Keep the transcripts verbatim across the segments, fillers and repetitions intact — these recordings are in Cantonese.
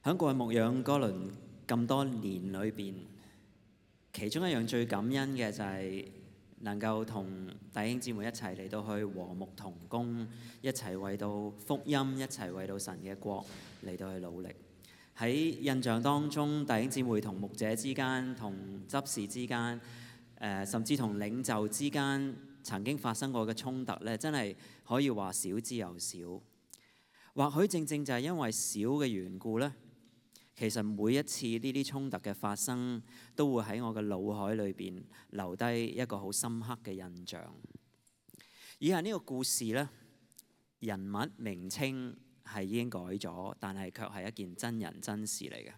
喺過去牧養哥倫咁多年裏邊，其中一樣最感恩嘅就係能夠同弟兄姊妹一齊嚟到去和睦同工，一齊為到福音，一齊為到神嘅國嚟到去努力。喺印象當中，弟兄姊妹同牧者之間、同執事之間，誒、呃、甚至同領袖之間曾經發生過嘅衝突咧，真係可以話少之又少。或許正正就係因為少嘅緣故咧，其實每一次呢啲衝突嘅發生，都會喺我嘅腦海裏邊留低一個好深刻嘅印象。以下呢個故事呢，人物名稱係已經改咗，但係卻係一件真人真事嚟嘅。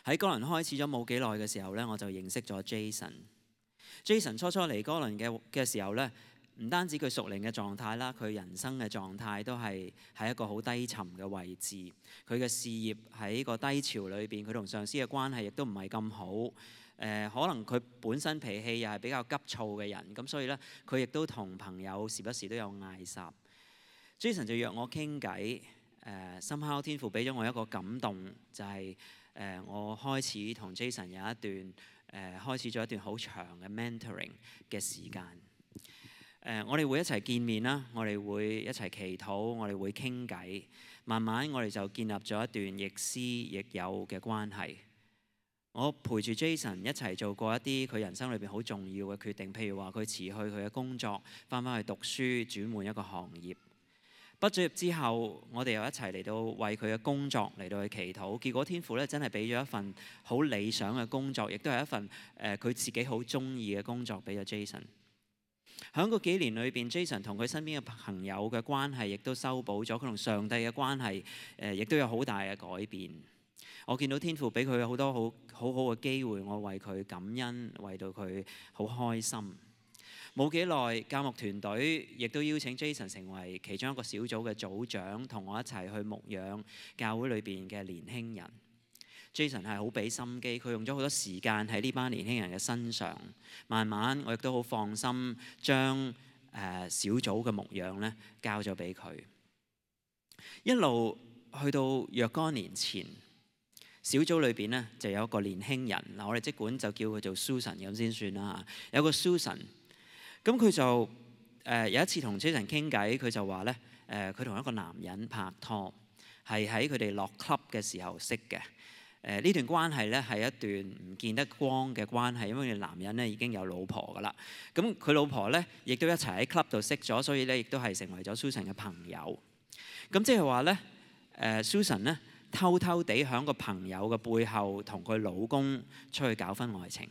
喺哥倫開始咗冇幾耐嘅時候呢，我就認識咗 Jason。Jason 初初嚟哥倫嘅嘅時候呢，唔單止佢屬靈嘅狀態啦，佢人生嘅狀態都係喺一個好低沉嘅位置。佢嘅事業喺個低潮裏邊，佢同上司嘅關係亦都唔係咁好。誒、呃，可能佢本身脾氣又係比較急躁嘅人，咁所以呢，佢亦都同朋友時不時都有嗌霎。Jason 就約我傾偈。誒，somehow天父俾咗我一個感動，就係、是、誒、呃、我開始同 Jason 有一段誒、呃、開始咗一段好長嘅 mentoring 嘅時間。誒、呃，我哋會一齊見面啦，我哋會一齊祈禱，我哋會傾偈，慢慢我哋就建立咗一段亦師亦友嘅關係。我陪住 Jason 一齊做過一啲佢人生裏邊好重要嘅決定，譬如話佢辭去佢嘅工作，翻返去讀書，轉換一個行業。畢咗業之後，我哋又一齊嚟到為佢嘅工作嚟到去祈禱。結果天父咧真係俾咗一份好理想嘅工作，亦都係一份誒佢、呃、自己好中意嘅工作俾咗 Jason。喺嗰幾年裏邊 Jason 同佢身邊嘅朋友嘅關係亦都修補咗，佢同上帝嘅關係誒亦都有好大嘅改變。我見到天父俾佢好多好好好嘅機會，我為佢感恩，為到佢好開心。冇幾耐，教牧團隊亦都邀請 Jason 成為其中一個小組嘅組長，同我一齊去牧養教會裏邊嘅年輕人。Jason 係好俾心機，佢用咗好多時間喺呢班年輕人嘅身上。慢慢我亦都好放心，將誒、呃、小組嘅牧養咧交咗俾佢。一路去到若干年前，小組裏邊咧就有一個年輕人，嗱我哋即管就叫佢做 Susan 咁先算啦。有個 Susan。咁佢就誒、呃、有一次同 Jason 傾偈，佢就話咧誒佢同一個男人拍拖，係喺佢哋落 club 嘅時候識嘅。誒、呃、呢段關係咧係一段唔見得光嘅關係，因為男人咧已經有老婆噶啦。咁佢老婆咧亦都一齊喺 club 度識咗，所以咧亦都係成為咗 Susan 嘅朋友。咁即係話咧誒 Susan 咧偷偷地喺個朋友嘅背後同佢老公出去搞婚外情。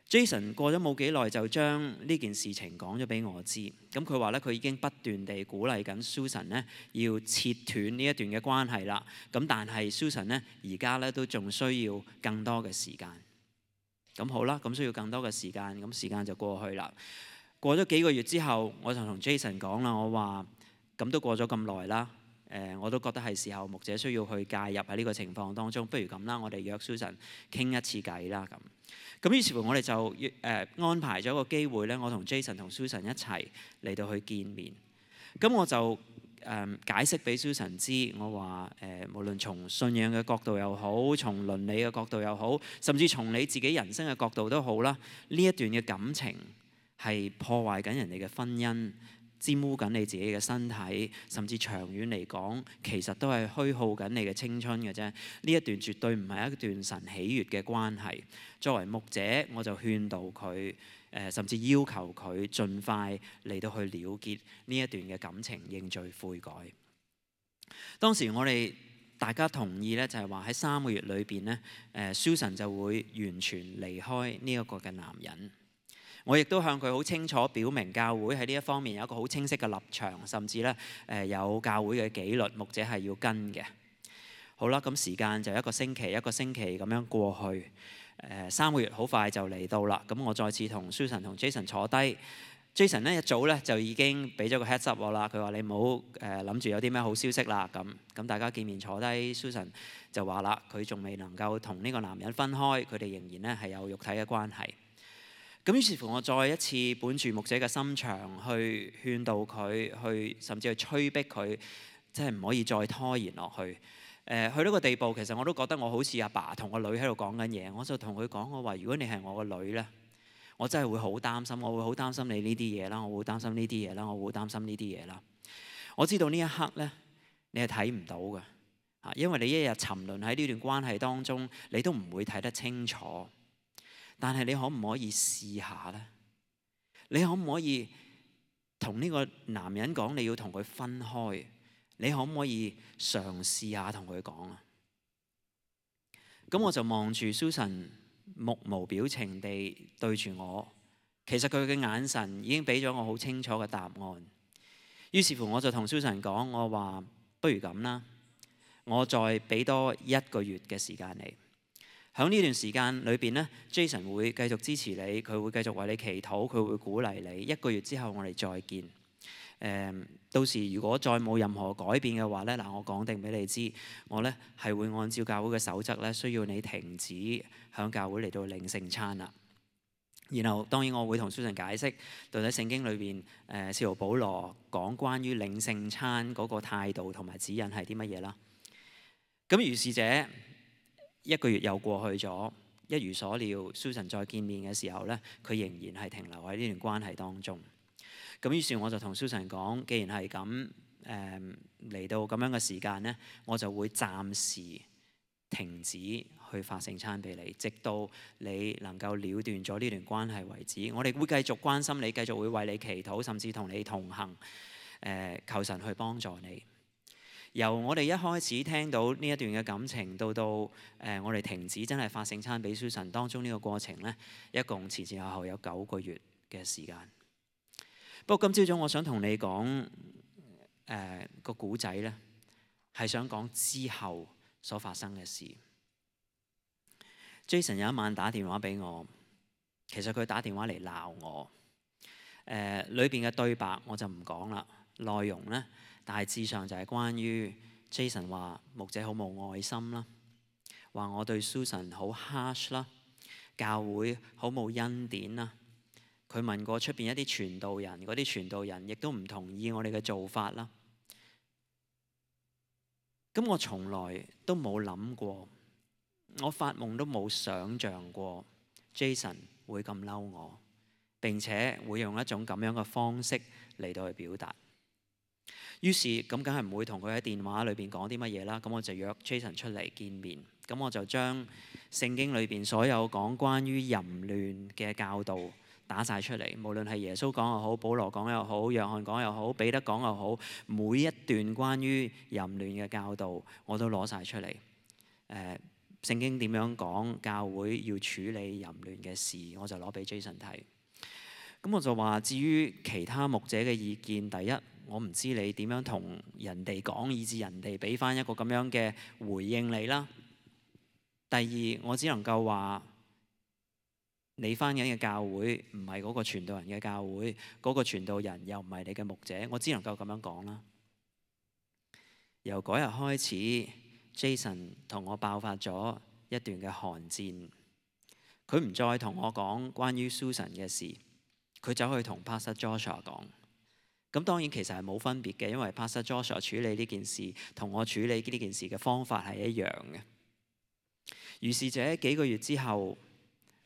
Jason 過咗冇幾耐就將呢件事情講咗俾我知，咁佢話咧佢已經不斷地鼓勵緊 Susan 咧要切斷呢一段嘅關係啦。咁但係 Susan 咧而家咧都仲需要更多嘅時間。咁好啦，咁需要更多嘅時間，咁時間就過去啦。過咗幾個月之後，我就同 Jason 講啦，我話咁都過咗咁耐啦，誒、呃、我都覺得係時候牧者需要去介入喺呢個情況當中，不如咁啦，我哋約 Susan 傾一次偈啦咁。咁於是乎我哋就誒、呃、安排咗個機會咧，我同 Jason 同 Susan 一齊嚟到去見面。咁我就誒、呃、解釋俾 Susan 知，我話誒、呃、無論從信仰嘅角度又好，從倫理嘅角度又好，甚至從你自己人生嘅角度都好啦，呢一段嘅感情係破壞緊人哋嘅婚姻，沾污緊你自己嘅身體，甚至長遠嚟講，其實都係虛耗緊你嘅青春嘅啫。呢一段絕對唔係一段神喜悅嘅關係。作為牧者，我就勸導佢，誒、呃、甚至要求佢盡快嚟到去了結呢一段嘅感情，認罪悔改。當時我哋大家同意咧，就係話喺三個月裏邊咧，誒、呃、Susan 就會完全離開呢一個嘅男人。我亦都向佢好清楚表明，教會喺呢一方面有一個好清晰嘅立場，甚至咧誒有教會嘅紀律，牧者係要跟嘅。好啦，咁時間就一個星期一個星期咁樣過去，誒、呃、三個月好快就嚟到啦。咁我再次同 Susan 同 Jason 坐低 ，Jason 咧一早咧就已經俾咗個 heads up 我啦。佢話你唔好誒諗住有啲咩好消息啦。咁咁大家見面坐低 ，Susan 就話啦，佢仲未能夠同呢個男人分開，佢哋仍然咧係有肉體嘅關係。咁於是乎，我再一次本住牧者嘅心腸去勸導佢，去甚至去催逼佢，即係唔可以再拖延落去。誒去到個地步，其實我都覺得我好似阿爸同個女喺度講緊嘢。我就同佢講，我話如果你係我個女咧，我真係會好擔心，我會好擔心你呢啲嘢啦，我會擔心呢啲嘢啦，我會擔心呢啲嘢啦。我知道呢一刻咧，你係睇唔到嘅嚇，因為你一日沉淪喺呢段關係當中，你都唔會睇得清楚。但係你可唔可以試下咧？你可唔可以同呢個男人講你要同佢分開？你可唔可以嘗試下同佢講啊？咁我就望住 Susan 目無表情地對住我，其實佢嘅眼神已經俾咗我好清楚嘅答案。於是乎我就同 Susan 講，我話不如咁啦，我再俾多一個月嘅時間你。喺呢段時間裏邊咧 ，Jason 會繼續支持你，佢會繼續為你祈禱，佢會鼓勵你。一個月之後我哋再見。誒，到時如果再冇任何改變嘅話咧，嗱，我講定俾你知，我咧係會按照教會嘅守則咧，需要你停止響教會嚟到領聖餐啦。然後當然我會同 Susan 解釋，到底聖經裏邊誒使徒保羅講關於領聖餐嗰個態度同埋指引係啲乜嘢啦。咁如是者一個月又過去咗，一如所料 ，Susan 再見面嘅時候咧，佢仍然係停留喺呢段關係當中。咁於是我就同 Susan 講，既然係咁，誒嚟到咁樣嘅時間咧，我就會暫時停止去發聖餐俾你，直到你能夠了斷咗呢段關係為止。我哋會繼續關心你，繼續會為你祈禱，甚至同你同行。誒，求神去幫助你。由我哋一開始聽到呢一段嘅感情，到到誒我哋停止真係發聖餐俾 Susan 當中呢個過程咧，一共前前後後有九個月嘅時間。不過今朝早我想同你講誒個古仔咧，係想講之後所發生嘅事。Jason 有一晚打電話俾我，其實佢打電話嚟鬧我。誒裏邊嘅對白我就唔講啦，內容咧大致上就係關於 Jason 話牧者好冇愛心啦，話我對 Susan 好 harsh 啦，教會好冇恩典啦。佢問過出邊一啲傳道人，嗰啲傳道人亦都唔同意我哋嘅做法啦。咁我從來都冇諗過，我發夢都冇想像過 Jason 會咁嬲我，並且會用一種咁樣嘅方式嚟到去表達。於是咁梗係唔會同佢喺電話裏邊講啲乜嘢啦。咁我就約 Jason 出嚟見面。咁我就將聖經裏邊所有講關於淫亂嘅教導打晒出嚟，無論係耶穌講又好，保羅講又好，約翰講又好，彼得講又好，每一段關於淫亂嘅教導我都攞晒出嚟。誒、呃，聖經點樣講教會要處理淫亂嘅事，我就攞俾 Jason 睇。咁我就話，至於其他牧者嘅意見，第一，我唔知你點樣同人哋講，以致人哋俾翻一個咁樣嘅回應你啦。第二，我只能夠話，你翻緊嘅教會唔係嗰個傳道人嘅教會，嗰個傳道人又唔係你嘅牧者，我只能夠咁樣講啦。由嗰日開始 ，Jason 同我爆發咗一段嘅寒戰。佢唔再同我講關於 Susan 嘅事，佢走去同 Pastor Joshua 講。咁當然其實係冇分別嘅，因為 Pastor Joshua 處理呢件事同我處理呢件事嘅方法係一樣嘅。於是者幾個月之後，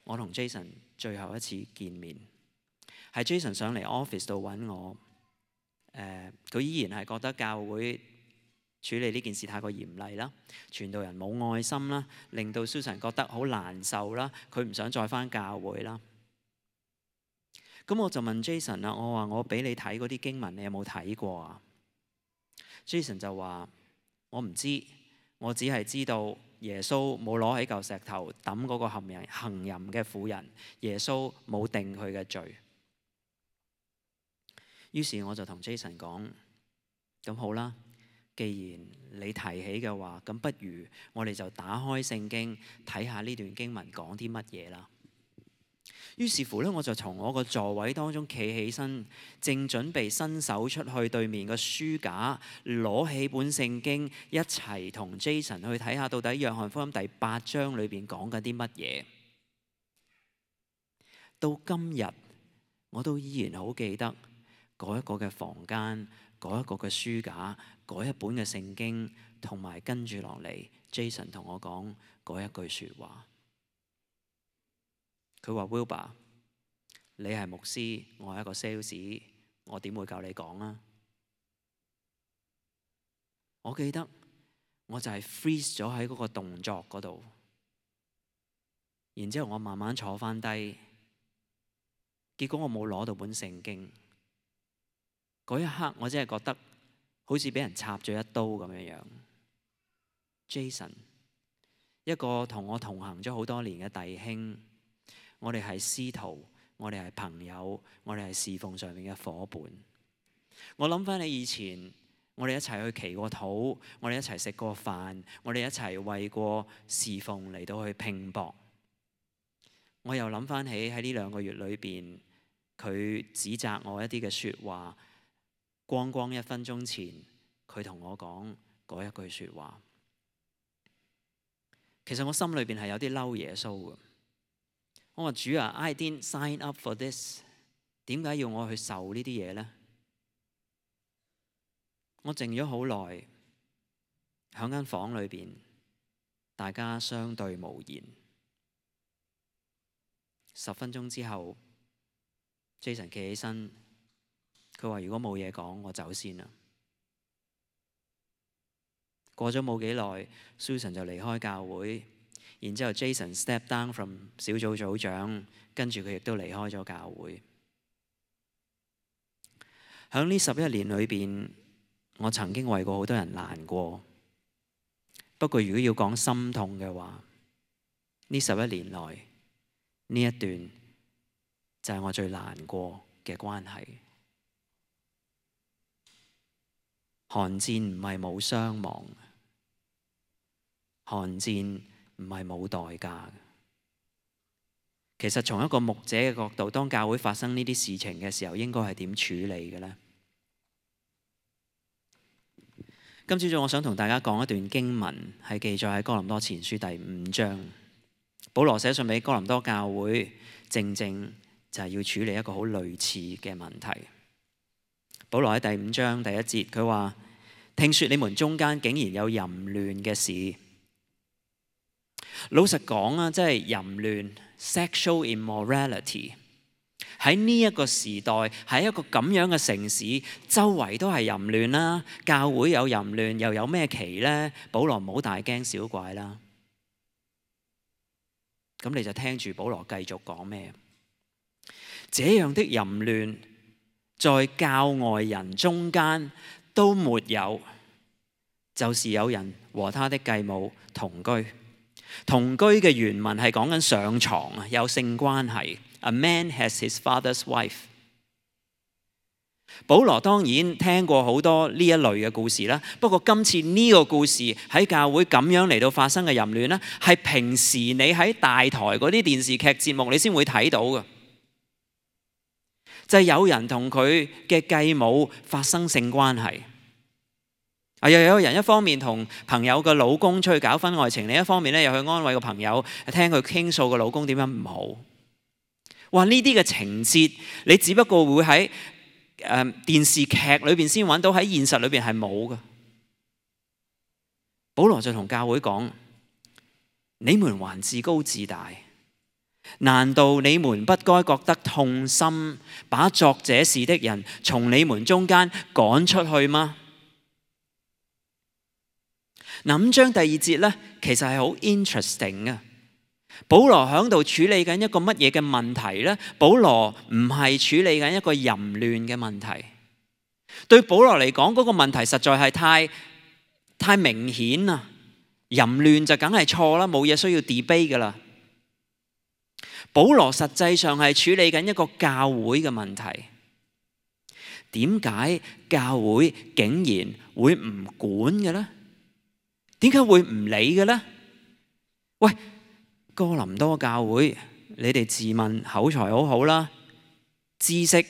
我同 Jason 最後一次見面，係 Jason 上嚟 office 度揾我。誒、呃，佢依然係覺得教會處理呢件事太過嚴厲啦，傳道人冇愛心啦，令到 Susan 覺得好難受啦，佢唔想再返教會啦。咁我就問 Jason 啦，我話我俾你睇嗰啲經文，你有冇睇過啊？ Jason 就話我唔知，我只係知道耶穌冇攞起嚿石頭抌嗰個行淫行淫嘅婦人，耶穌冇定佢嘅罪。於是我就同 Jason 講，咁好啦，既然你提起嘅話，咁不如我哋就打開聖經睇下呢段經文講啲乜嘢啦。於是乎咧，我就從我個座位當中企起身，正準備伸手出去對面個書架，攞起本聖經，一齊同 Jason 去睇下到底約翰福音第八章裏邊講緊啲乜嘢。到今日，我都依然好記得嗰一個嘅房間，嗰一個嘅書架，嗰一本嘅聖經，同埋跟住落嚟 Jason 同我講嗰一句説話。佢話 Wilbur， 你係牧師，我係一個 sales， 我點會教你講啊？我記得我就係 freeze 咗喺嗰個動作嗰度，然之後我慢慢坐翻低，結果我冇攞到本聖經。嗰一刻我真係覺得好似俾人插咗一刀咁樣樣。Jason， 一個同我同行咗好多年嘅弟兄，我哋係師徒，我哋係朋友，我哋係侍奉上面嘅夥伴。我諗翻你以前，我哋一齊去祈過禱，我哋一齊食過飯，我哋一齊為過侍奉嚟到去拼搏。我又諗翻起喺呢兩個月裏邊，佢指責我一啲嘅説話，光光一分鐘前，佢同我講嗰一句説話。其實我心裏邊係有啲嬲耶穌嘅。我話主啊 ，I didn't sign up for this， 點解要我去受呢啲嘢呢？我靜咗好耐，喺間房裏邊，大家相對無言。十分鐘之後 ，Jason 企起身，佢話：如果冇嘢講，我走先啦。過咗冇幾耐 ，Susan 就離開教會，然之後 Jason step down from 小組組長，跟住佢亦都離開咗教會。喺呢十一年裏邊，我曾經為過好多人難過。不過如果要講心痛嘅話，呢十一年內呢一段就係我最難過嘅關係。寒戰唔係冇傷亡，寒戰唔係冇代價。其實從一個牧者嘅角度，當教會發生呢啲事情嘅時候，應該係點處理嘅呢？今朝早我想同大家講一段經文，係記載喺哥林多前書第五章。保羅寫信俾哥林多教會，正正就係要處理一個好類似嘅問題。保羅喺第五章第一節，佢話：聽說你們中間竟然有淫亂嘅事。老實講啊，即係淫亂 （sexual immorality） 喺呢一個時代，喺一個咁樣嘅城市，周圍都係淫亂啦。教會有淫亂，又有咩奇呢？保羅唔好大驚小怪啦。咁你就聽住保羅繼續講咩？這樣的淫亂在教外人中間都沒有，就是有人和他的繼母同居。同居嘅原文係講緊上床啊，有性關係。A man has his father's wife。保羅當然聽過好多呢一類嘅故事啦，不過今次呢個故事喺教會咁樣嚟到發生嘅淫亂呢，係平時你喺大台嗰啲電視劇節目你先會睇到嘅，就係有人同佢嘅繼母發生性關係。啊，又有人一方面同朋友嘅老公出去搞婚外情，另一方面咧又去安慰個朋友，聽佢傾訴個老公點樣唔好。哇！呢啲嘅情節，你只不過會喺誒、呃、電視劇裏邊先揾到，喺現實裏邊係冇嘅。保羅就同教會講：你們還自高自大，難道你們不該覺得痛心，把作這事的人從你們中間趕出去嗎？嗱，五章第二節咧，其實係好 interesting 嘅。保羅喺度處理緊一個乜嘢嘅問題呢？保羅唔係處理緊一個淫亂嘅問題。對保羅嚟講，嗰個問題實在係太太明顯啦。淫亂就梗係錯啦，冇嘢需要 debate 噶啦。保羅實際上係處理緊一個教會嘅問題。點解教會竟然會唔管嘅呢？點解會唔理嘅呢？喂，哥林多教會，你哋自問口才好好啦，知識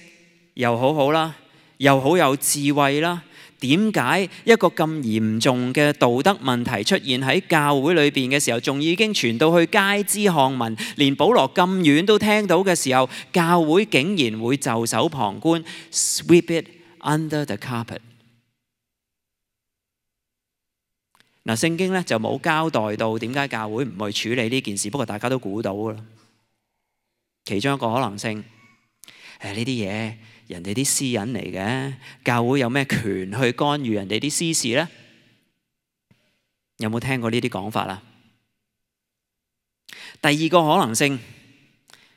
又好好啦，又好有智慧啦。點解一個咁嚴重嘅道德問題出現喺教會裏邊嘅時候，仲已經傳到去街知巷聞，連保羅咁遠都聽到嘅時候，教會竟然會袖手旁觀 ，sweep it under the carpet？嗱，聖經咧就冇交代到點解教會唔去處理呢件事，不過大家都估到啦。其中一個可能性，誒呢啲嘢人哋啲私隱嚟嘅，教會有咩權去干預人哋啲私事呢？有冇聽過呢啲講法啊？第二個可能性，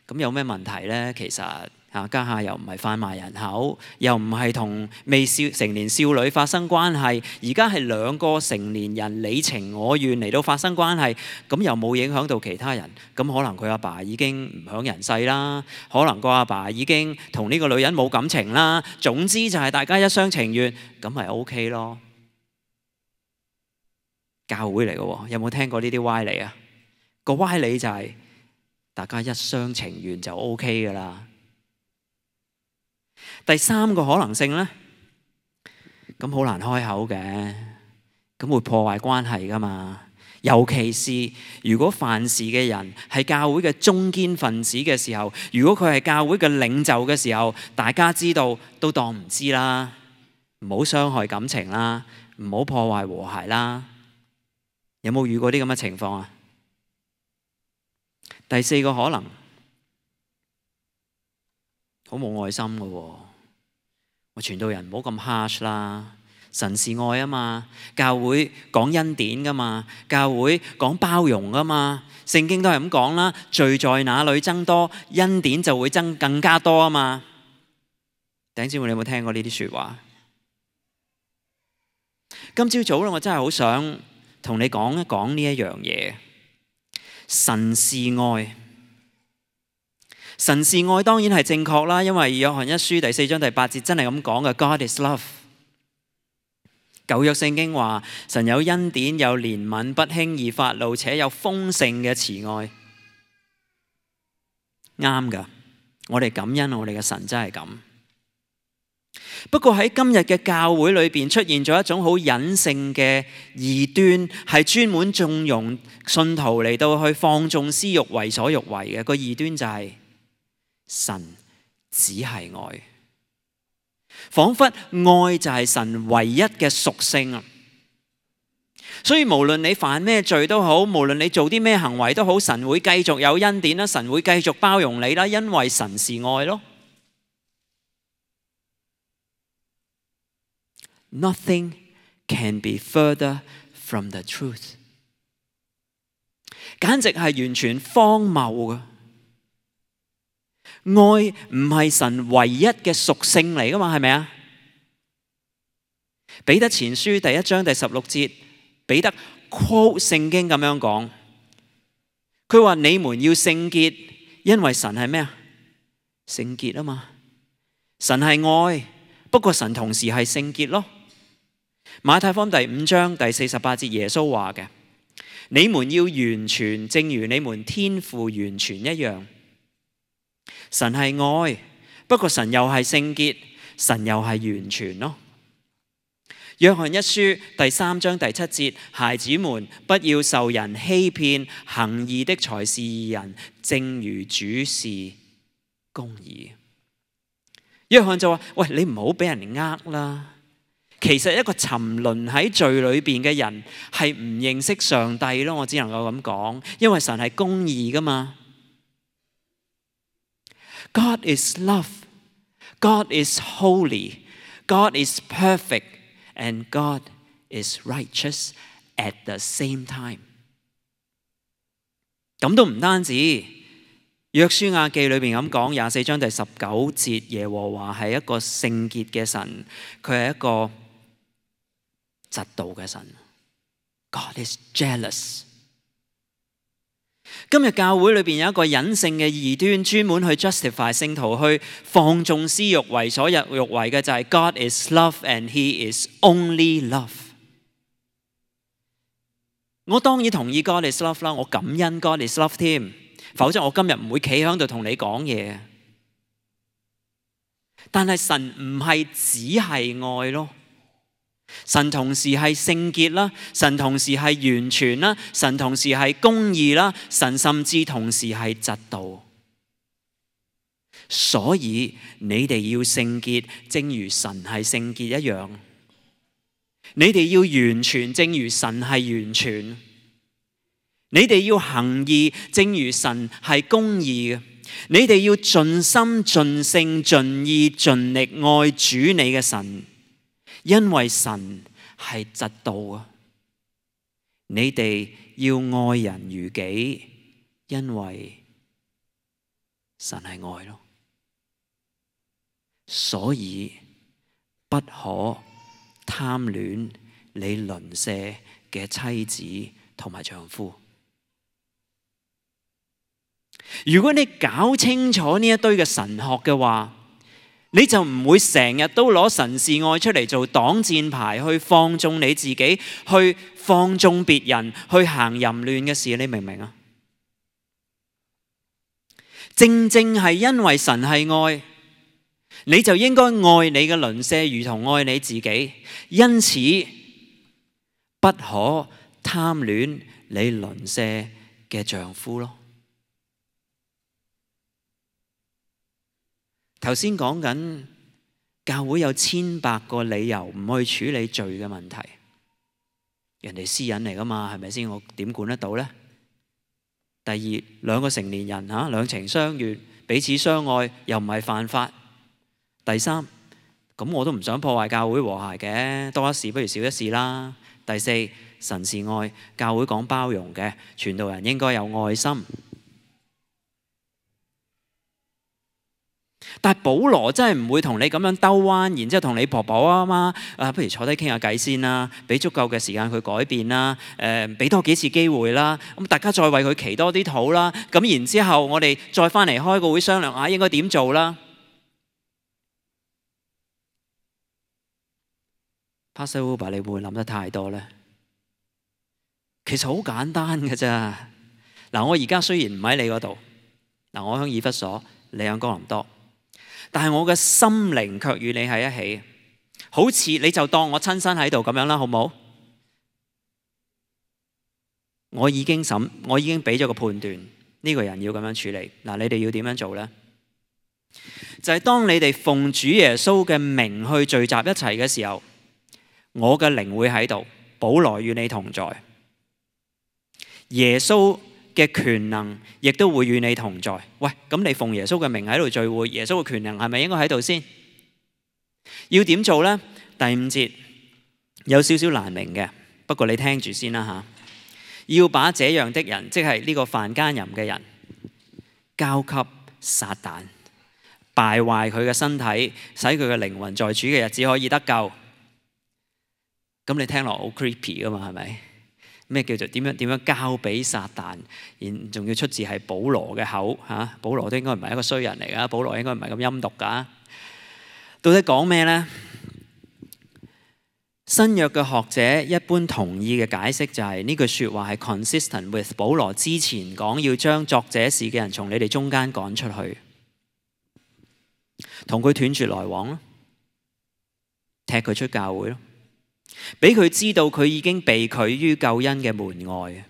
咁有咩問題呢？其實啊，家下又唔係販賣人口，又唔係同未少成年少女發生關係，而家係兩個成年人你情我願嚟到發生關係，咁又冇影響到其他人，咁可能佢阿爸已經唔享人世啦，可能個阿爸已經同呢個女人冇感情啦，總之就係大家一廂情願，咁咪 OK 咯。教會嚟嘅喎，有冇聽過呢啲歪理啊？個歪理就係大家一廂情願就 OK 噶啦。第三個可能性呢，咁好難開口嘅，咁會破壞關係噶嘛。尤其是如果犯事嘅人係教會嘅中堅分子嘅時候，如果佢係教會嘅領袖嘅時候，大家知道都當唔知啦，唔好傷害感情啦，唔好破壞和諧啦。有冇遇過啲咁嘅情況啊？第四個可能，好冇愛心嘅喎。我傳道人唔好咁 harsh 啦，神是愛啊嘛，教會講恩典噶嘛，教會講包容噶嘛，聖經都係咁講啦，罪在哪裏增多，恩典就會增更加多啊嘛。弟兄姊妹，你有冇聽過呢啲説話？今朝早咧，我真係好想同你講一講呢一樣嘢。神是愛。神是愛當然係正確啦，因為約翰一書第四章第八節真係咁講嘅 God is love。舊約聖經話神有恩典，有憐憫，不輕易發怒，且有豐盛嘅慈愛。啱㗎，我哋感恩我哋嘅神真係咁。不過喺今日嘅教會裏邊出現咗一種好隱性嘅異端，係專門縱容信徒嚟到去放縱私欲、為所欲為嘅。個異端就係神只係愛，彷彿愛就係神唯一嘅屬性啊！所以無論你犯咩罪都好，無論你做啲咩行為都好，神會繼續有恩典啦，神會繼續包容你啦，因為神是愛咯。Nothing can be further from the truth。簡直係完全荒謬嘅。愛唔係神唯一嘅屬性嚟噶嘛，係咪啊？彼得前書第一章第十六節，彼得 quote 聖經咁樣講，佢話你們要聖潔，因為神係咩啊？聖潔啊嘛。神係愛，不過神同時係聖潔咯。馬太福音第五章第四十八節，耶穌話嘅，你們要完全，正如你們天父完全一樣。神係愛，不過神又係聖潔，神又係完全咯。約翰一書第三章第七節，孩子們，不要受人欺騙，行義的才是義人，正如主是公義。約翰就話：喂，你唔好俾人呃啦。其實一個沉淪喺罪裏邊嘅人係唔認識上帝咯，我只能夠咁講，因為神係公義噶嘛。God is love, God is holy, God is perfect, and God is righteous at the same time。咁都唔單止，約書亞記裏邊咁講，廿四章第十九節，耶和華係一個聖潔嘅神，佢係一個嫉妒嘅神。God is jealous。今日教會裏邊有一個隱性嘅異端，專門去 justify 聖徒去放縱私欲、為所欲為嘅，就係 God is love and He is only love。我當然同意 God is love 啦，我感恩 God is love 添，否則我今日唔會企喺度同你講嘢。但係神唔係只係愛咯。神同時係聖潔啦，神同時係完全啦，神同時係公義啦，神甚至同時係嫉妒。所以你哋要聖潔，正如神係聖潔一樣。你哋要完全，正如神係完全。你哋要行義，正如神係公義嘅。你哋要盡心、盡性、盡意、盡力愛主你嘅神，因為神係嫉妒啊！你哋要愛人如己，因為神係愛咯。所以不可貪戀你鄰舍嘅妻子同埋丈夫。如果你搞清楚呢一堆嘅神學嘅話，你就唔會成日都攞神是愛出嚟做擋箭牌，去放縱你自己，去放縱別人，去行淫亂嘅事。你明唔明啊？正正係因為神係愛，你就應該愛你嘅鄰舍如同愛你自己。因此不可貪戀你鄰舍嘅丈夫咯。頭先講緊教會有千百個理由唔去處理罪嘅問題，人哋私隱嚟噶嘛，係咪先？我點管得到呢？第二，兩個成年人嚇兩情相悅，彼此相愛，又唔係犯法。第三，咁我都唔想破壞教會和諧嘅，多一事不如少一事啦。第四，神是愛，教會講包容嘅，傳道人應該有愛心。但係保羅真係唔會同你咁樣兜彎，然之後同你婆婆啊媽啊，不如坐低傾下偈先啦，俾足夠嘅時間佢改變啦，誒、呃，俾多幾次機會啦，咁大家再為佢祈多啲禱啦，咁然之後我哋再翻嚟開個會商量下應該點做啦。Pastor Uber，你會唔會諗得太多呢？其實好簡單嘅咋。嗱，我而家雖然唔喺你嗰度，嗱，我喺以弗所，你喺哥林多。但係我嘅心靈卻與你喺一起，好似你就當我親身喺度咁樣啦，好唔好？我已經審，我已經俾咗個判斷，呢個人要咁樣處理。嗱，你哋要點樣做呢？就係當你哋奉主耶穌嘅名去聚集一齊嘅時候，我嘅靈會喺度，保羅與你同在，耶穌嘅權能亦都會與你同在。喂，咁你奉耶穌嘅名喺度聚會，耶穌嘅權能係咪應該喺度先？要點做呢？第五節有少少難明嘅，不過你聽住先啦吓。要把這樣的人，即係呢個犯奸淫嘅人，交給撒旦，敗壞佢嘅身體，使佢嘅靈魂在主嘅日子可以得救。咁你聽落好 creepy 噶嘛，係咪？咩叫做點樣點樣交俾撒旦？然仲要出自係保羅嘅口嚇，保羅都應該唔係一個衰人嚟噶，保羅應該唔係咁陰毒噶。到底講咩呢？新約嘅學者一般同意嘅解釋就係呢句説話係 consistent with 保羅之前講要將作這事嘅人從你哋中間趕出去，同佢斷絕來往咯，踢佢出教會咯。俾佢知道佢已經被拒於救恩嘅門外，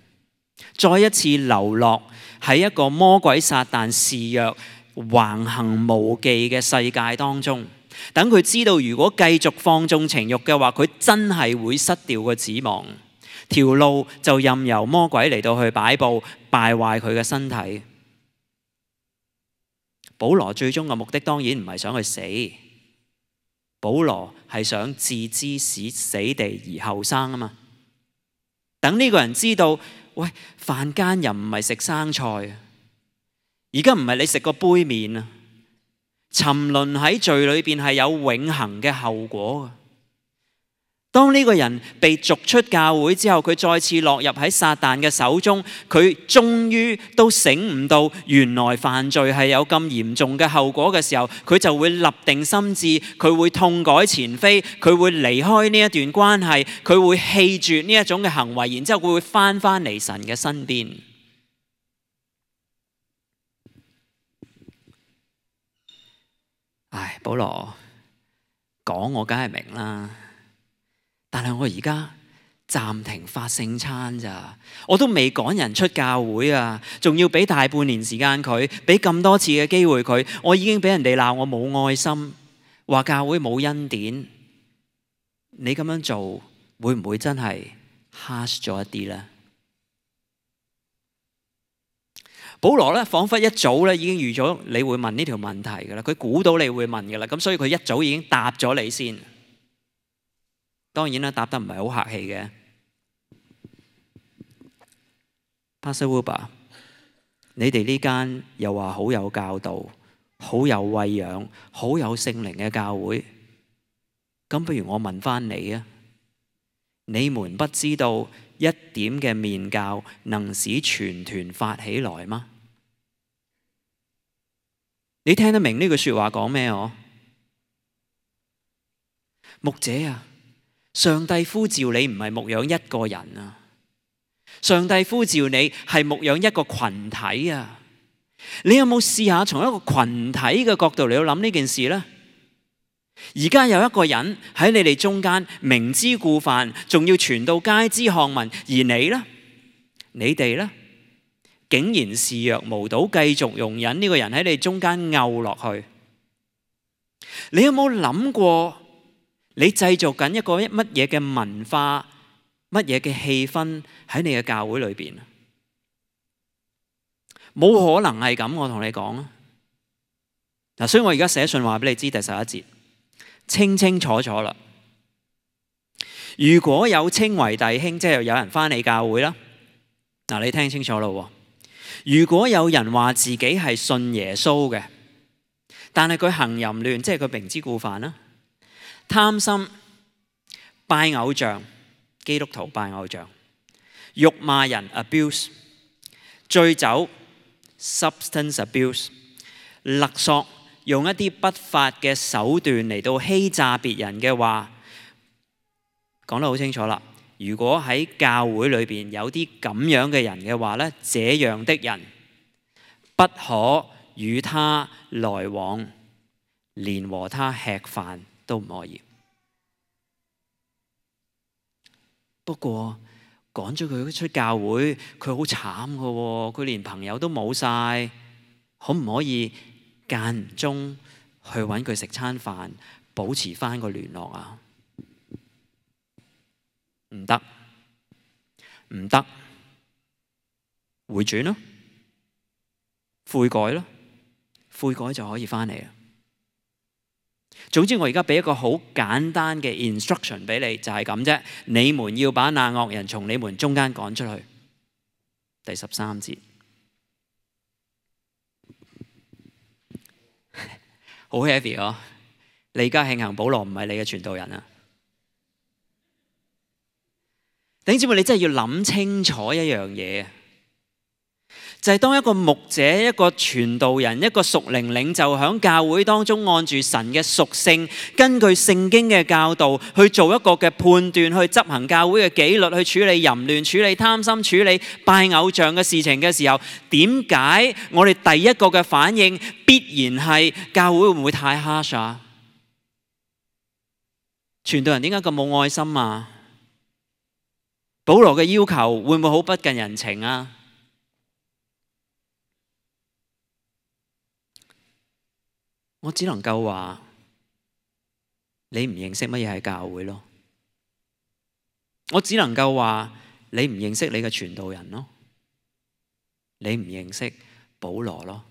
再一次流落喺一個魔鬼撒旦肆虐橫行無忌嘅世界當中。等佢知道，如果繼續放縱情慾嘅話，佢真係會失掉個指望，條路就任由魔鬼嚟到去擺佈，敗壞佢嘅身體。保羅最終嘅目的當然唔係想去死。保羅係想置之使死地而後生啊嘛！等呢個人知道，喂，犯奸淫唔係食生菜啊！而家唔係你食個杯麵啊！沉淪喺罪裏邊係有永恆嘅後果啊！當呢個人被逐出教會之後，佢再次落入喺撒旦嘅手中，佢終於都醒悟到原來犯罪係有咁嚴重嘅後果嘅時候，佢就會立定心志，佢會痛改前非，佢會離開呢一段關係，佢會棄絕呢一種嘅行為，然之後佢會翻返嚟神嘅身邊。唉，保羅講我梗係明啦。但係我而家暫停發聖餐咋，我都未趕人出教會啊，仲要俾大半年時間佢，俾咁多次嘅機會佢，我已經俾人哋鬧我冇愛心，話教會冇恩典。你咁樣做會唔會真係 harsh 咗一啲呢？保羅咧，彷彿一早咧已經預咗你會問呢條問題㗎啦，佢估到你會問㗎啦，咁所以佢一早已經答咗你先。當然啦，答得唔係好客氣嘅。Pastor Wilbur，你哋呢間又話好有教導、好有餵養、好有聖靈嘅教會，咁不如我問翻你啊，你們不知道一點嘅麵酵能使全團發起來嗎？你聽得明呢句說話講咩？我牧者啊，上帝呼召你唔係牧養一個人啊，上帝呼召你係牧養一個群體啊。你有冇試下從一個群體嘅角度嚟到諗呢件事呢？而家有一個人喺你哋中間明知故犯，仲要傳到街知巷聞，而你呢？你哋呢？竟然視若無睹，繼續容忍呢個人喺你中間漚落去。你有冇諗過，你製造緊一個乜嘢嘅文化，乜嘢嘅氣氛喺你嘅教會裏邊？冇可能係咁，我同你講啊！嗱，所以我而家寫信話俾你知，第十一節清清楚楚啦。如果有稱為弟兄，即係有人返你教會啦。嗱，你聽清楚咯。如果有人話自己係信耶穌嘅，但係佢行淫亂，即係佢明知故犯啦，貪心、拜偶像，基督徒拜偶像，辱罵人 abuse， 醉酒 substance abuse， 勒索，用一啲不法嘅手段嚟到欺詐別人嘅話，講得好清楚啦。如果喺教會裏邊有啲咁樣嘅人嘅話呢，這樣的人不可與他來往，連和他吃飯都唔可以。不過趕咗佢出教會，佢好慘㗎喎，佢連朋友都冇晒，可唔可以間唔中去揾佢食餐飯，保持返個聯絡啊？唔得，唔得，回轉咯，悔改咯，悔改就可以返嚟啦。總之我而家俾一個好簡單嘅 instruction 俾你，就係咁啫。你們要把那惡人從你們中間趕出去。第十三節，好 heavy 哦！你而家慶幸保羅唔係你嘅傳道人啊！弟兄姊妹，你真係要諗清楚一樣嘢，就係當一個牧者、一個傳道人、一個屬靈領袖喺教會當中按住神嘅屬性，根據聖經嘅教導去做一個嘅判斷，去執行教會嘅紀律，去處理淫亂、處理貪心、處理拜偶像嘅事情嘅時候，點解我哋第一個嘅反應必然係教會會唔會太 harsh 啊？傳道人點解咁冇愛心啊？保羅嘅要求會唔會好不近人情啊？我只能夠話你唔認識乜嘢係教會咯。我只能夠話你唔認識你嘅傳道人咯。你唔認識保羅咯。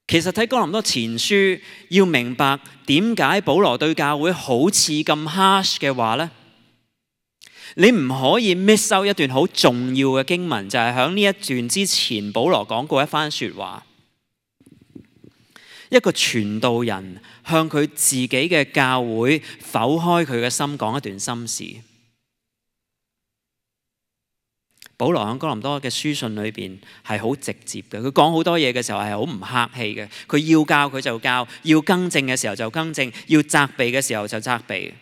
其實睇哥林多前書，要明白點解保羅對教會好似咁 harsh 嘅話呢，你唔可以 miss out 一段好重要嘅經文，就係喺呢一段之前，保羅講過一番說話。一個傳道人向佢自己嘅教會剖開佢嘅心，講一段心事。保羅喺哥林多嘅書信裏邊係好直接嘅，佢講好多嘢嘅時候係好唔客氣嘅。佢要教佢就教，要更正嘅時候就更正，要責備嘅時候就責備。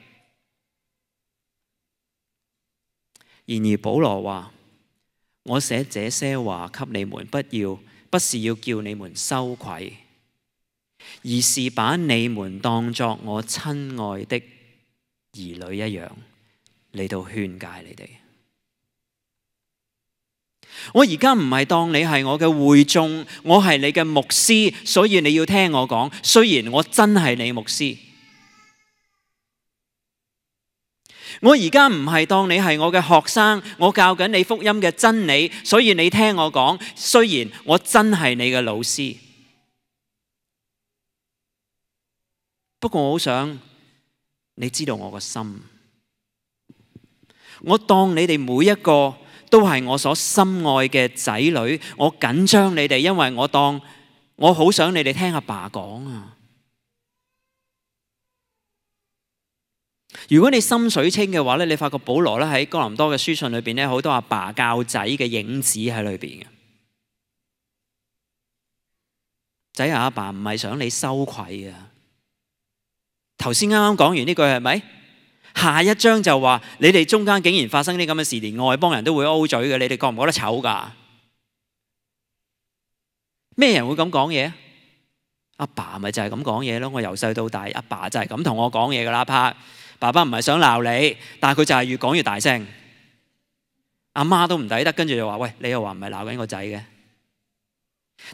然而保羅話：我寫這些話給你們，不要不是要叫你們羞愧，而是把你們當作我親愛的兒女一樣嚟到勸誡你哋。我而家唔係當你係我嘅會眾，我係你嘅牧師，所以你要聽我講。雖然我真係你牧師，我而家唔係當你係我嘅學生，我教緊你福音嘅真理，所以你聽我講。雖然我真係你嘅老師，不過我好想你知道我個心。我當你哋每一個都係我所深愛嘅仔女，我緊張你哋，因為我當我好想你哋聽阿爸講啊。如果你心水清嘅話咧，你發覺保羅咧喺哥林多嘅書信裏邊咧，好多阿爸教仔嘅影子喺裏邊嘅。仔啊，阿爸唔係想你羞愧啊。頭先啱啱講完呢句係咪？下一章就話你哋中間竟然發生啲咁嘅事，連外邦人都會 O 嘴嘅，你哋覺唔覺得醜㗎？咩人會咁講嘢？阿爸咪就係咁講嘢咯。我由細到大，阿爸就係咁同我講嘢㗎啦。怕爸爸唔係想鬧你，但係佢就係越講越大聲。阿媽都唔抵得，跟住就話：喂，你又話唔係鬧緊個仔嘅？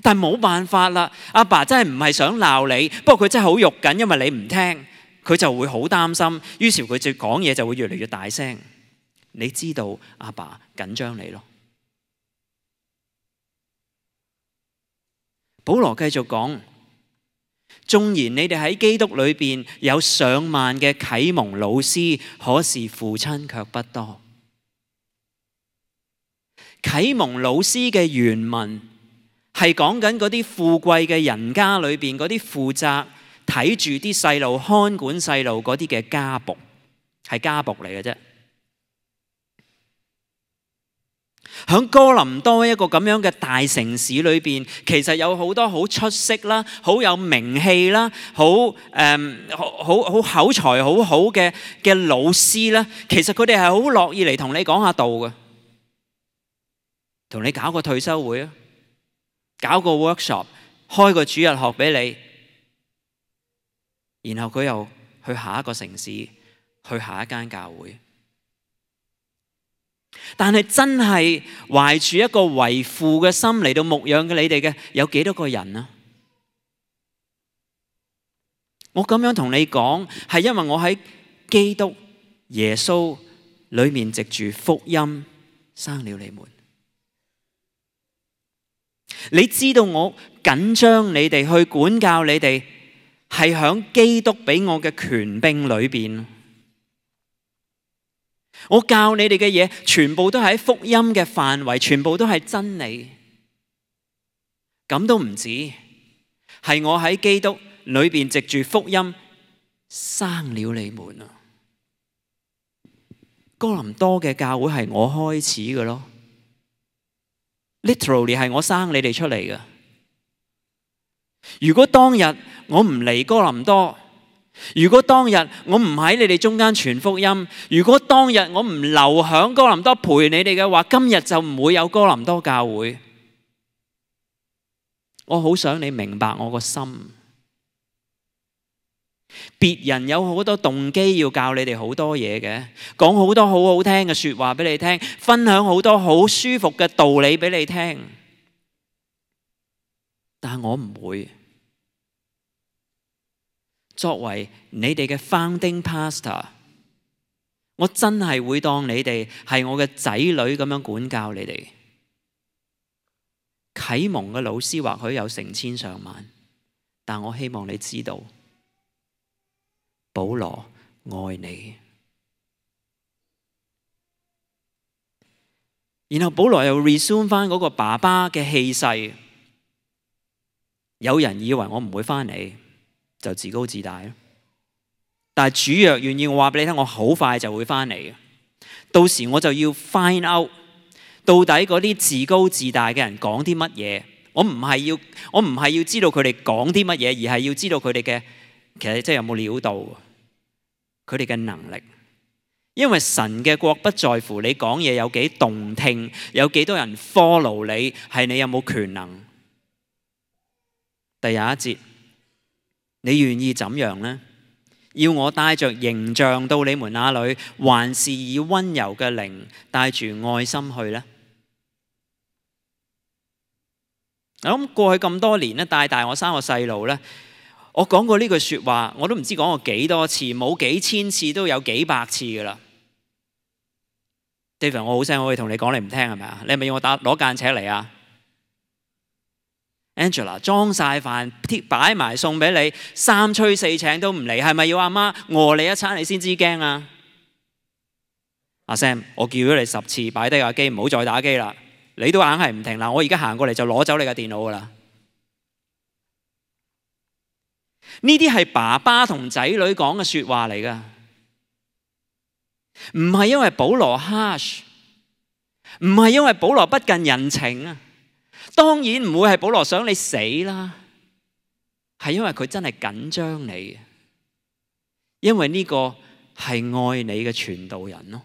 但係冇辦法啦，阿爸真係唔係想鬧你，不過佢真係好肉緊，因為你唔聽。佢就會好擔心，於是佢就講嘢就會越嚟越大聲。你知道阿爸緊張你咯。保羅繼續講，縱然你哋喺基督裏邊有上萬嘅啟蒙老師，可是父親卻不多。啟蒙老師嘅原文係講緊嗰啲富貴嘅人家裏邊嗰啲負責睇住啲細路、看管細路嗰啲嘅家僕，係家僕嚟嘅啫。喺哥林多一個咁樣嘅大城市裏邊，其實有好多好出色啦、好有名氣啦、好誒好好好口才好好嘅嘅老師啦。其實佢哋係好樂意嚟同你講下道嘅，同你搞個退休會啊，搞個 workshop， 開個主日學俾你。然後佢又去下一個城市，去下一間教會。但係真係懷住一個為父嘅心嚟到牧養嘅你哋嘅，有幾多個人啊？我咁樣同你講，係因為我喺基督耶穌裏面藉住福音生了你們。你知道我緊張你哋去管教你哋，係響基督俾我嘅權柄裏邊，我教你哋嘅嘢全部都係喺福音嘅範圍，全部都係真理。咁都唔止，係我喺基督裏邊藉住福音生了你們啊！哥林多嘅教會係我開始嘅咯 ，literally 係我生你哋出嚟嘅。如果當日我唔嚟哥林多，如果當日我唔喺你哋中間傳福音，如果當日我唔留響哥林多陪你哋嘅話，今日就唔會有哥林多教會。我好想你明白我個心。別人有好多動機要教你哋好多嘢嘅，講好多好好聽嘅說話俾你聽，分享好多好舒服嘅道理俾你聽，但係我唔會。作為你哋嘅 founding pastor， 我真係會當你哋係我嘅仔女咁樣管教你哋。啟蒙嘅老師或許有成千上萬，但我希望你知道，保羅愛你。然後保羅又 resume 翻嗰個爸爸嘅氣勢。有人以為我唔會翻嚟，就自高自大咯。但係主若願意，我話俾你聽，我好快就會翻嚟嘅。到時我就要 find out 到底嗰啲自高自大嘅人講啲乜嘢。我唔係要，我唔係要知道佢哋講啲乜嘢，而係要知道佢哋嘅其實即係有冇料到，佢哋嘅能力。因為神嘅國不在乎你講嘢有幾動聽，有幾多人 follow 你，係你有冇權能。第廿一節。你願意怎樣呢？要我帶着形象到你們那裏，還是以溫柔嘅靈帶住愛心去呢？我諗過去咁多年咧，帶大我三個細路咧，我講過呢句說話，我都唔知講過幾多次，冇幾千次都有幾百次噶啦。David，我好聲，我可以同你講，你唔聽係咪啊？你係咪要我打攞間尺嚟啊 ？Angela 裝晒飯，擺埋餸俾你，三催四請都唔嚟，係咪要阿媽餓你一餐你先知驚啊？阿 Sam，我叫咗你十次，擺低架機，唔好再打機啦。你都硬係唔停啦，我而家行過嚟就攞走你嘅電腦噶啦。呢啲係爸爸同仔女講嘅説話嚟噶，唔係因為保羅 harsh， 唔係因為保羅不近人情啊。當然唔會係保羅想你死啦，係因為佢真係緊張你，因為呢個係愛你嘅傳道人咯。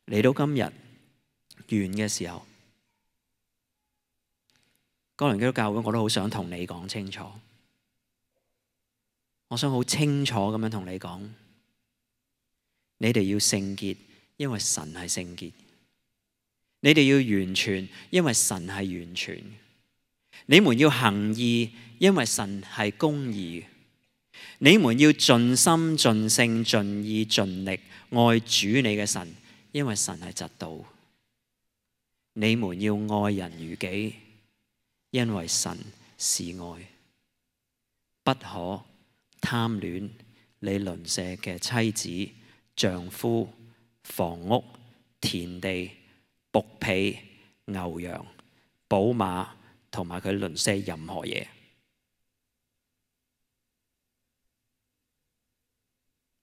嚟到今日完嘅時候，哥倫基督教會我都好想同你講清楚，我想好清楚咁樣同你講，你哋要聖潔，因為神係聖潔；你哋要完全，因為神係完全；你們要行義，因為神係公義；你們要盡心盡性盡意盡力愛主你嘅神，因為神係直道。你們要愛人如己，因為神是愛。不可貪戀你鄰舍嘅妻子、丈夫、房屋、田地、僕婢、牛羊、寶馬同埋佢鄰舍任何嘢。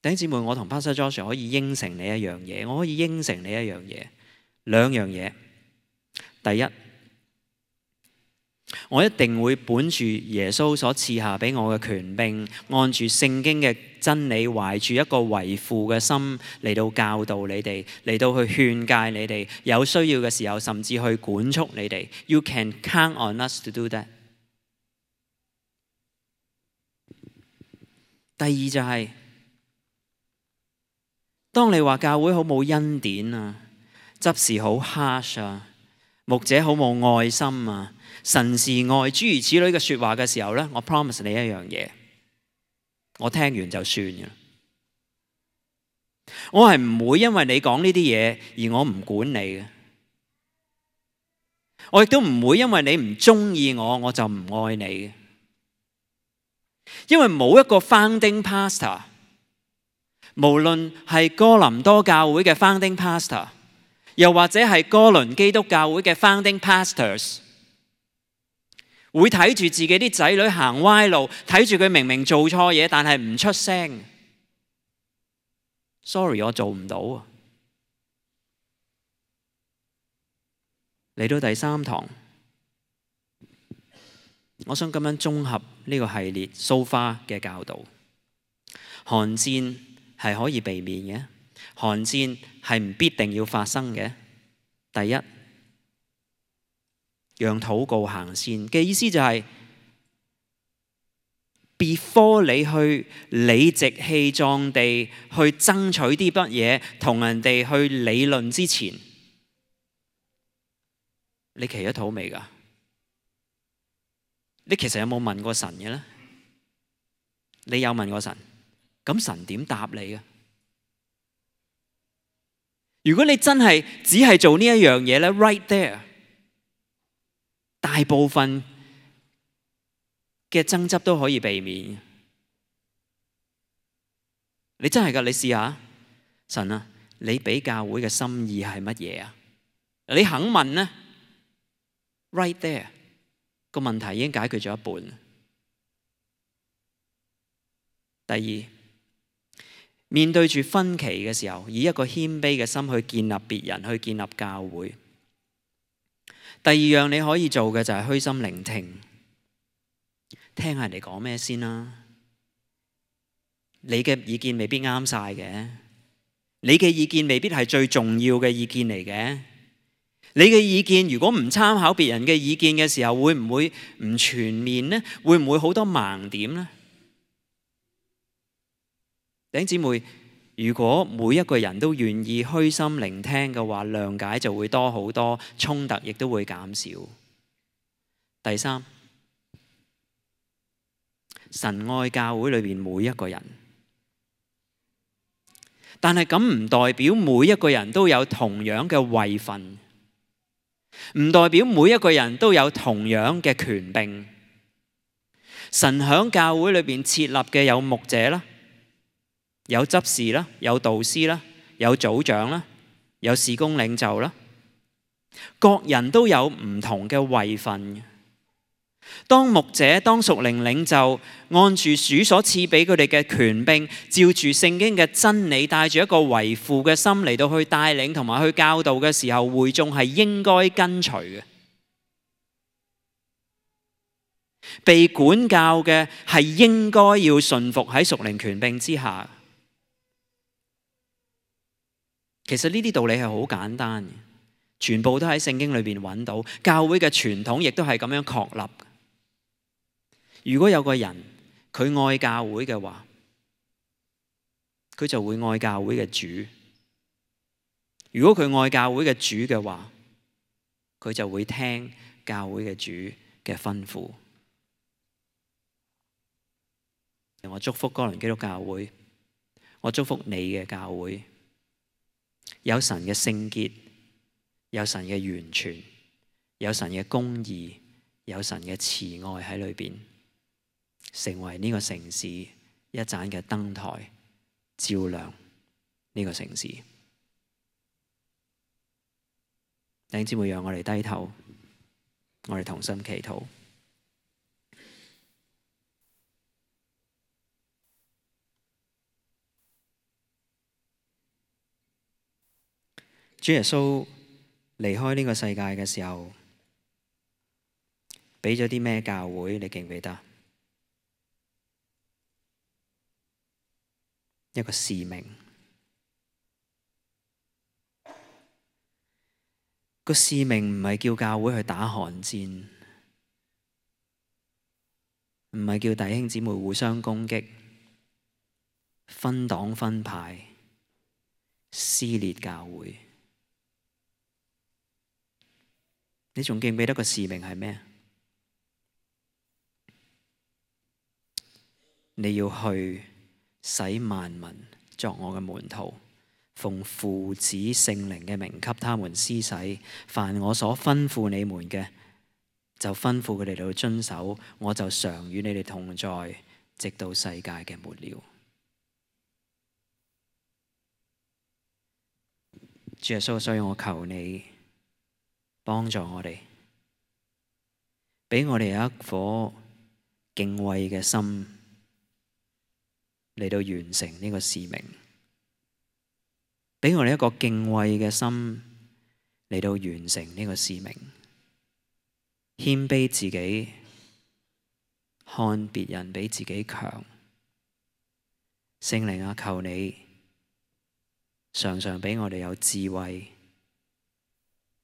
弟兄姊妹，我同 Pastor Joshua 可以應承你一樣嘢，我可以應承你一樣嘢，兩樣嘢。第一，我一定會本住耶穌所賜下俾我嘅權柄，按住聖經嘅真理，懷住一個為父嘅心嚟到教導你哋，嚟到去勸誡你哋，有需要嘅時候甚至去管束你哋。You can count on us to do that。第二就係，當你話教會好冇恩典啊，執事好 harsh 啊，牧者好冇愛心啊，神是愛諸如此類嘅說話嘅時候呢，我 promise 你一樣嘢，我聽完就算嘅。我係唔會因為你講呢啲嘢而我唔管你嘅，我亦都唔會因為你唔中意我我就唔愛你嘅，因為冇一個 founding pastor， 無論係哥林多教會嘅 founding pastor， 又或者係哥倫基督教會嘅 founding pastors， 會睇住自己啲仔女行歪路，睇住佢明明做錯嘢，但係唔出聲。Sorry， 我做唔到啊。嚟到第三堂，我想咁樣綜合呢個系列 so far 嘅教導。寒戰係可以避免嘅，寒戰係唔必定要發生嘅。第一，讓禱告行先嘅意思就係、是、before 你去理直氣壯地去爭取啲乜嘢，同人哋去理論之前，你祈咗禱未㗎？你其實有冇問過神嘅咧？你有問過神，咁神點答你啊？如果你真係只係做呢一樣嘢咧 ，right there， 大部分嘅爭執都可以避免。你真係㗎，你試下，神啊，你俾教會嘅心意係乜嘢啊？你肯問呢 right there， 個問題已經解決咗一半。第二，面對住分歧嘅時候，以一個謙卑嘅心去建立別人，去建立教會。第二樣你可以做嘅就係虛心聆聽，聽下人哋講咩先啦。你嘅意見未必啱晒嘅，你嘅意見未必係最重要嘅意見嚟嘅。你嘅意見如果唔參考別人嘅意見嘅時候，會唔會唔全面呢？會唔會好多盲點呢？弟兄姊妹，如果每一個人都願意虛心聆聽嘅話，諒解就會多好多，衝突亦都會減少。第三，神愛教會裏面每一個人，但係咁唔代表每一個人都有同樣嘅位份，唔代表每一個人都有同樣嘅權柄。神喺教會裏邊設立嘅有牧者啦，有執事啦，有導師啦，有組長啦，有事工領袖啦，各人都有唔同嘅位份。當牧者、當屬靈領袖，按住主所賜俾佢哋嘅權柄，照住聖經嘅真理，帶住一個為父嘅心嚟到去帶領同埋去教導嘅時候，會眾係應該跟隨嘅。被管教嘅係應該要順服喺屬靈權柄之下。其實呢啲道理係好簡單嘅，全部都喺聖經裏邊揾到。教會嘅傳統亦都係咁樣確立。如果有個人佢愛教會嘅話，佢就會愛教會嘅主。如果佢愛教會嘅主嘅話，佢就會聽教會嘅主嘅吩咐。我祝福哥倫基督教會，我祝福你嘅教會，有神嘅聖潔，有神嘅完全，有神嘅公義，有神嘅慈愛喺裏邊，成為呢個城市一盞嘅燈台，照亮呢個城市。弟兄姊妹，讓我哋低頭，我哋同心祈禱。主耶穌離開呢個世界嘅時候，俾咗啲咩教會？你記唔記得？一個使命。個使命唔係叫教會去打寒戰，唔係叫弟兄姊妹互相攻擊、分黨分派、撕裂教會。你仲記唔記得個使命係咩？你要去使萬民作我嘅門徒，奉父子聖靈嘅名給他們施洗。凡我所吩咐你們嘅，就吩咐佢哋嚟遵守。我就常與你哋同在，直到世界嘅末了。主耶穌，所以我求你幫助我哋，俾我哋有一顆敬畏嘅心嚟到完成呢個使命，俾我哋一個敬畏嘅心嚟到完成呢個使命，謙卑自己，看別人比自己強。聖靈啊，求你常常俾我哋有智慧，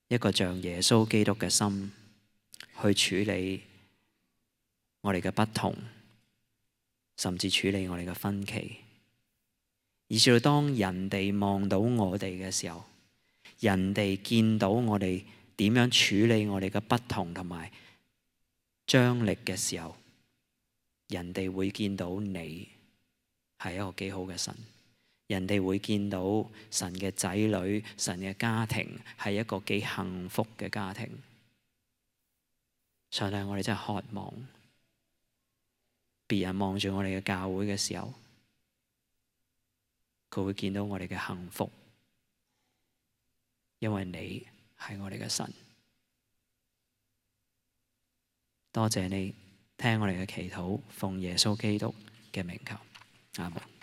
一個像耶穌基督嘅心去處理我哋嘅不同，甚至處理我哋嘅分歧，以至到當人哋望到我哋嘅時候，人哋見到我哋點樣處理我哋嘅不同同埋張力嘅時候，人哋會見到你係一個幾好嘅神，人哋會見到神嘅仔女、神嘅家庭係一個幾幸福嘅家庭。上帝，我哋真係渴望別人望住我哋嘅教會嘅時候，佢會見到我哋嘅幸福，因為你係我哋嘅神。多謝你聽我哋嘅祈禱，奉耶穌基督嘅名求，阿門。